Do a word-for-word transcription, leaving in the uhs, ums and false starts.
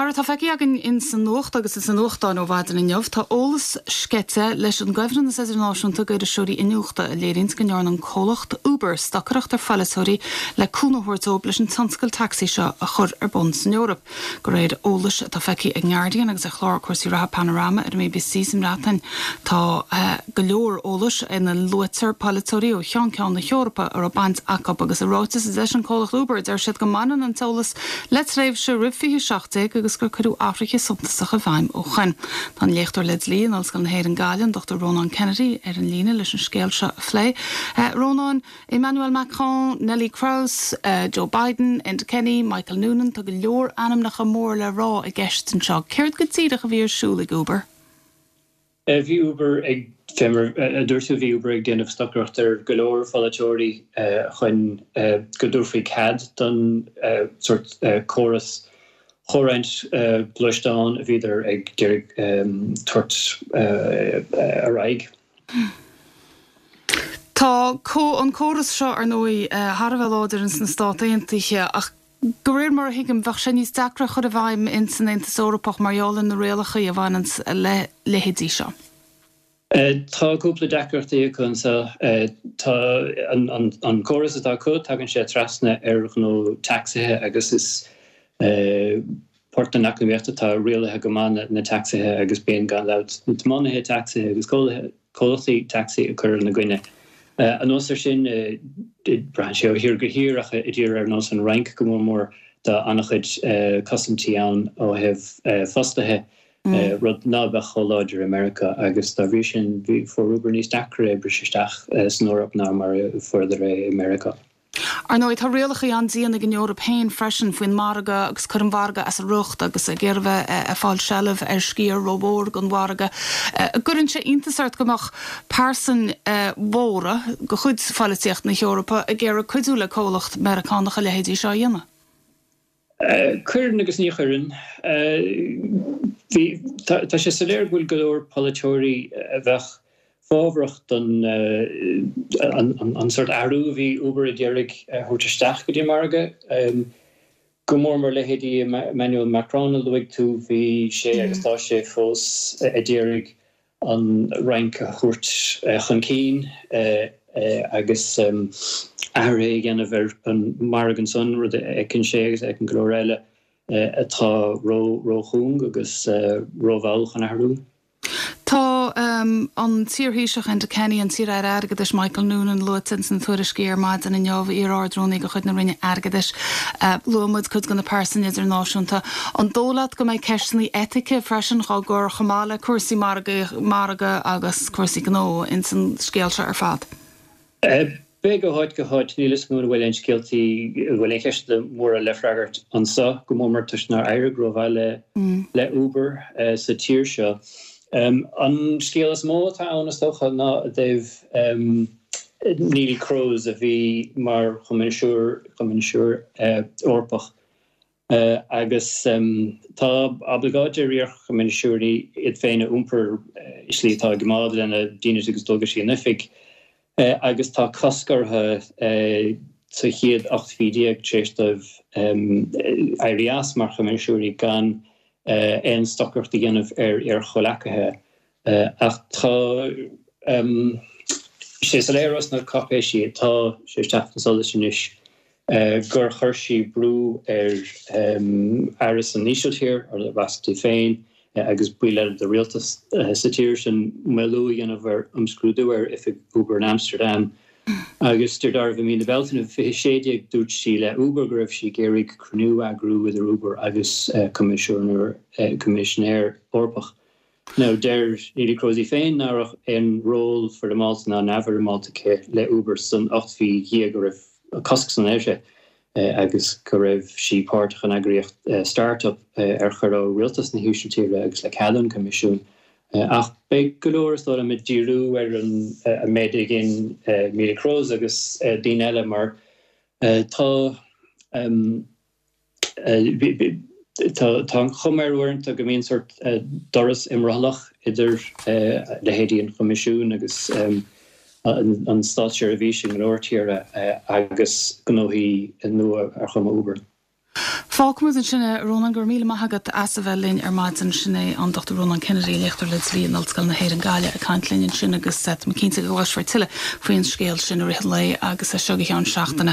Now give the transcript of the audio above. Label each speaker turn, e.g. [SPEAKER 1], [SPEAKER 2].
[SPEAKER 1] Mar atá feicthe againn in san nuacht agus is an nuachtáin ó mhaidin inniu, tá eolas sceite leis an gCuibhreannas Idirnáisiúnta d'Iriseoirí Iniúchta a léiríonn go ndearna an comhlacht Uber stocaireacht ar pholaiteoirí le cúnamh a thabhairt dóibh leis an tionscal tacsaí seo a chur ar bun san Eoraip. De réir eolais atá feicthe ag Guardian agus ar chlár cúrsaí reatha Panorama ar an BBC sa mBreatain tá uh, go leor eolais ina luaitear polaiteoirí ó cheann ceann na hEorpa a raibh baint acu agus i ráiteas leis an comhlacht Uber deir siad go mbaineann an t-eolas le tréimhse roimh fiche seacht déag agus gur cuireadh athruithe suntasacha i bhfeidhm ó shin. Tá an léachtóir le dlí in Ollscoil na hÉireann Gaillimh Dr Ronan Kennedy ar an líne leis an scéal seo a phlé. Uh, Ronan, Emmanuel Macron, Neelie Kroes, uh, Joe Biden, Enda Kenny, Michael Noonan tá go leor ainmneacha mór le rá i gceist anseo. Céard go díreach a bhí ar siúl ag Uber?
[SPEAKER 2] Bhí Uber ag dúirt bhí Uber ag déanamh stocaireacht ar go leor pholaiteoirí chun go dtabharfaí cead don sort córas chomhroinnt gluaisteán a bhíodar ag d'iarraidh tabhairt ar aghaidh.
[SPEAKER 1] Tá an córas seo ar ndóigh thar a bheith láidir sna Stáit Aontaithe ach de réir mar a thuigim bheadh sé níos deacra chur i bhfeidhm in san Aontas Eorpach mar gheall ar na rialacha a bhaineann le leithéidí seo.
[SPEAKER 2] Tá cúpla deacrachtaí acu anseo tá an córas atá acu tagann sé trasna ar ghnó tacsaithe agus is port den eacnamaíocht atá rialaithe go maith na tacsaithe agus bíonn gan dabht na tiománaithe tacsaithe agus comhlachtaí tacsaí ag cur ina gcoinne. Anuas air sin braitheann sé ó thír go tír ach i dtír ar nós an Fhrainc go mór mór tá an-chuid cosaintí ann ó thaobh fostaithe rud ná beadh chomh láidir i Meiriceá agus dá bhrí sin bhí fuair Uber níos deacra briseadh isteach san Eoraip ná mar a fuaireadar é i Meiriceá.
[SPEAKER 1] Ar ndóigh tá rialacha an-dian ag an Eoraip féin freisin faoin margadh agus cur an mhargaidh as a riocht agus ag iarraidh bheith ag fáil seilbh ar sciar rómhór den mhargadh. Cuireann sé iontas ort go mbeadh pearsain mhóra de chuid pholaitíocht na hEorpa ag iarraidh cuidiú le comhlacht Meiriceánach a leithéidí seo a dhéanamh.
[SPEAKER 2] Cuireann agus ní chuireann. Tá sé soiléir go bhfuil go leor polaiteoirí a bheadh fábhrach don an sort athrú a bhí Uber ag iarraidh thabhairt isteach go dtí margadh. Go mór mór leithéidí Emmanuel Macron a luaigh tú bhí sé agus tá sé fós ag iarraidh an Fhrainc a thabhairt chun cinn agus athruithe a dhéanamh ar an margadh ansan rud a fheiceann sé agus a fheiceann go leor eile atá ró róchúng agus rómhall chun athrú.
[SPEAKER 1] Tá um, an t-iarThaoiseach Enda Kenny an t-iar-aire airgeadais Michael Noonan luaite sna tuairiscí ar maidin inniu iar-Ard-Rúnaí de chuid na Roinne Airgeadais uh, luaigh muid cuid de na pearsain idirnáisiúnta. An dóigh leat go mbeidh ceisteanna eitice freisin á gcur chomh maith le cúrsaí margaidh agus cúrsaí gnó in san scéal seo ar fad.
[SPEAKER 2] Beidh ó áit go háit níl a fhios agam an bhfuil aon scéaltaí bhfuil aon cheist móra le freagairt anseo go mór mór toisc nár éirigh rómhaith le mm. le Uber uh, sa tír seo. Um, an scéal is mó atá ann is dócha ná dtaobh um, Neelie Kroes a bhí mar choimisiúr choimisiúr uh, Eorpach. Uh, agus um, tá oibleagáid ar iar-choimisiúirí iad féin a iompar uh, i slí atá ag gabháil lena dínit agus dualgaisí in oifig. Uh, agus tá cosc orthu uh, sa chéad ocht mhí déag tar éis dóibh um, éirí as mar choimisiúirí gan uh, aon stocaireacht a dhéanamh ar ar chomhghleacaithe. Uh, ach tá um, sé soiléir sna cáipéisí tá sé teacht chun solais anois uh, gur chuir sí brú ar um, aire san Ísiltír ar Rasti féin uh, agus baill eile de rialtas uh, sa tír sin moilliú a dhéanamh ar imscrúdú ar oifig Uber in Amsterdam. Agus de dar mí na Bealtaine fiche sé déag dúirt sí le Uber go raibh sí ag iarraidh cruinniú a eagrú idir Uber agus Coimisinéir Eorpach. Now deir Neelie Kroes féin nach raibh aon ról foirmeálta ná neamhfhoirmeálta aici le Uber san ocht mhí déag go raibh cosc san air sé agus go raibh sí páirteach in eagraíocht startup ar chuir ó rialtas na hÍsiltíre agus le cead an Choimisiúin. Ach beidh go leor is dóigh liom ag díriú ar an méid a dhein Neelie Kroes agus daoine eile mar tá Tá an chuma air uaireanta go mbíonn sort doras imrothlach idir leithéidí an Choimisiúin agus an státseirbhís in go leor tíortha agus gnóthaí nua ar chuma Uber.
[SPEAKER 1] Fágfaimid ansin é Rónán go raibh míle maith agat as a bheith linn ar maidin sin é an Dr Rónán Kennedy léachtóir le dlí in Ollscoil na hÉireann Gaillimh ag caint linn ansin agus cinnte go gcloisfear tuilleadh faoin scéal sin i rith an lae agus seo go ceann seachtaine.